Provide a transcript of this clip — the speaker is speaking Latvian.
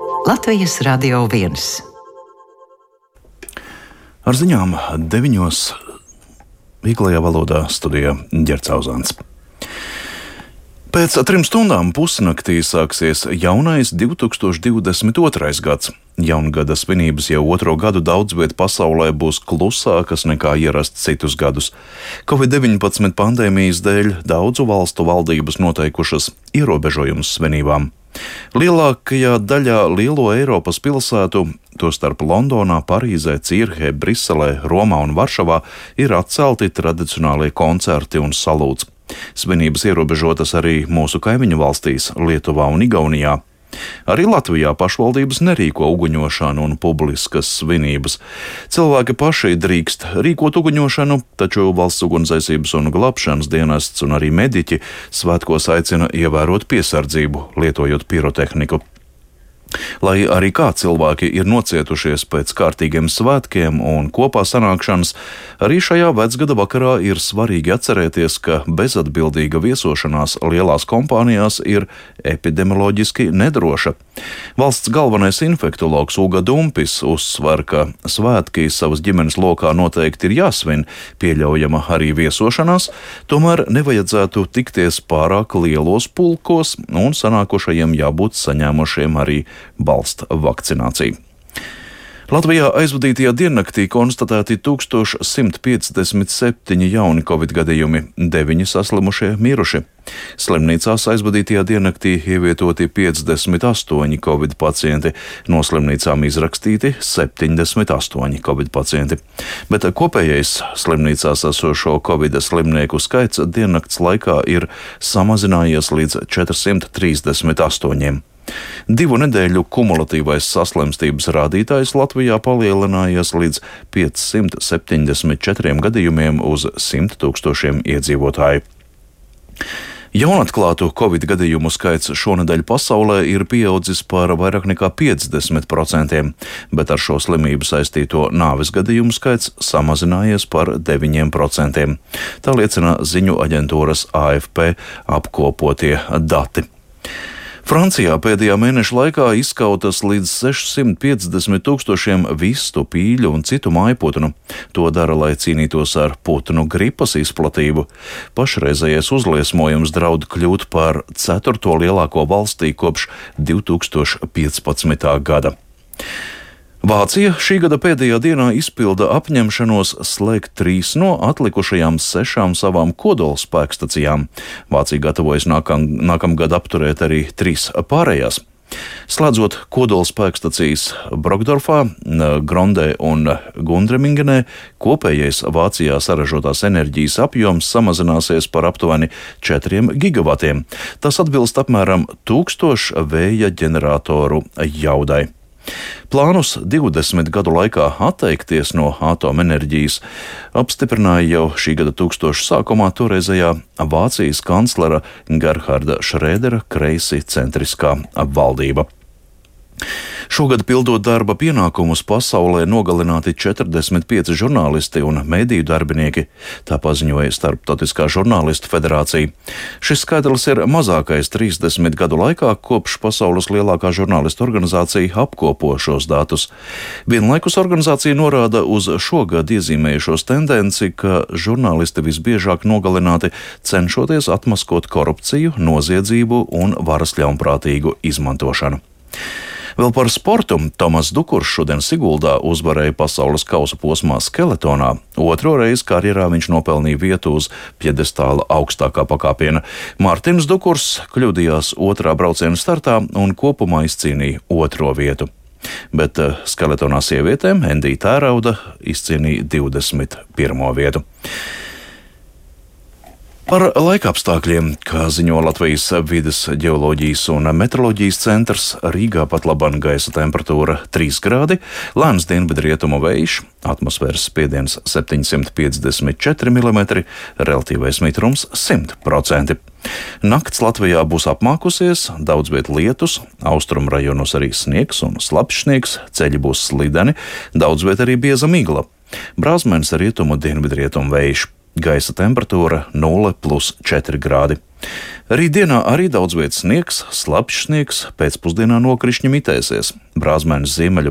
Latvijas Radio 1. Ar ziņām 9. vieglajā valodā studijā Ģerts Auzāns. Pēc 3 stundām pusnaktī sāksies jaunais 2022. gads. Jaungada svinības jau 2. gadu daudz viet pasaulē būs klusākas nekā ierasts citus gadus. Covid-19 pandēmijas dēļ daudzu valstu valdības noteikušas ierobežojumus svinībām. Lielākajā daļā lielo Eiropas pilsētu, tostarp Londonā, Parīzē, Cīrhē, Briselē, Romā un Varšavā, ir atcelti tradicionālie koncerti un salūts. Svinības ierobežotas arī mūsu kaimiņu valstīs, Lietuvā un Igaunijā. Arī Latvijā pašvaldības nerīko uguņošanu un publiskas svinības. Cilvēki paši drīkst rīkot uguņošanu, taču Valsts ugunsdzēsības un glābšanas dienests un arī mediķi svētkos aicina ievērot piesardzību, lietojot pirotehniku. Lai arī kā cilvēki ir nocietušies pēc kārtīgiem svētkiem un kopā sanākšanas, arī šajā vecgada vakarā ir svarīgi atcerēties, ka bezatbildīga viesošanās lielās kompānijās ir epidemioloģiski nedroša. Valsts galvenais infektologs Uga Dumpis uzsver, ka svētki savas ģimenes lokā noteikti ir jāsvin, pieļaujama arī viesošanās, tomēr nevajadzētu tikties pārāk lielos pulkos un sanākušajiem jābūt saņēmušiem arī balsta vakcināciju. Latvijā aizvadītajā diennaktī konstatēti 1157 jauni covid gadījumi, 9 saslimušie miruši. Slimnīcās aizvadītajā diennaktī ievietoti 58 covid pacienti, no slimnīcām izrakstīti 78 covid pacienti. Bet kopējais slimnīcās esošo covid slimnieku skaits diennakts laikā ir samazinājies līdz 438. 2 nedēļu kumulatīvais saslimstības rādītājs Latvijā palielinājies līdz 574 gadījumiem uz 100 000 iedzīvotāju. Jaunatklātu covid gadījumu skaits šonedēļ pasaulē ir pieaudzis par vairāk nekā 50%, bet ar šo slimību saistīto nāves gadījumu skaits samazinājies par 9%. Tā liecina ziņu aģentūras AFP apkopotie dati. Francijā pēdējā mēneša laikā izskautas līdz 650 000 vistu, pīļu un citu mājputnu. To dara, lai cīnītos ar putnu gripas izplatību. Pašreizējais uzliesmojums draud kļūt par 4. lielāko valstī kopš 2015. gada. Vācija šī gada pēdējā dienā izpilda apņemšanos slēgt 3 no atlikušajām 6 savām kodolspēkstacijām. Vācija gatavojas nākamgad apturēt arī 3 pārējās. Slēdzot kodolspēkstacijas Brokdorfā, Grondē un Gundremingenē, kopējais Vācijā saražotās enerģijas apjoms samazināsies par aptuveni 4 gigavatiem. Tas atbilst apmēram 1000 vēja ģeneratoru jaudai. Plānus 20 gadu laikā atteikties no atomenerģijas apstiprināja jau šī gada 1000 sākumā toreizējā Vācijas kanclera Gerharda Šrēdera kreisi centriskā valdība. Šogad pildot darba pienākumus pasaulē nogalināti 45 žurnālisti un mediju darbinieki, tā paziņoja Starptautiskā žurnālistu federācija. Šis skaitlis ir mazākais 30 gadu laikā, kopš pasaules lielākā žurnālistu organizācija apkopo šos datus. Vienlaikus organizācija norāda uz šogad iezīmējušos tendenci, ka žurnālisti visbiežāk nogalināti cenšoties atmaskot korupciju, noziedzību un varas ļaunprātīgu izmantošanu. Vēl par sportu. Tomas Dukurs šodien Siguldā uzvarēja pasaules kausa posmā skeletonā. 2. reizi karjerā viņš nopelnīja vietu uz pjedestāla augstākā pakāpiena. Mārtiņš Dukurs kļūdījās 2. brauciena startā un kopumā izcīnīja 2. vietu. Bet skeletonā sievietēm Endija Tērauda izcīnīja 21. vietu. Par laikapstākļiem, kā ziņo Latvijas vides ģeoloģijas un meteoroloģijas centrs, Rīgā pat laban gaisa temperatūra 3 grādi, lēns dienvidrietumu vējš, atmosfēras spiediens 754 mm, relatīvais mitrums 100%. Nakts Latvijā būs apmākusies, daudz viet lietus, austrumu rajonos arī sniegs un slapjš sniegs, ceļi būs slideni, daudz viet arī bieza migla. Brāzmens rietumu dienvidrietumu vējš. Gaisa temperatūra 0,4 grādi. Rītdienā arī daudz vietas sniegs, slapjš sniegs, pēcpusdienā nokrišņi mitēsies. Brāzmēnas ziemeļu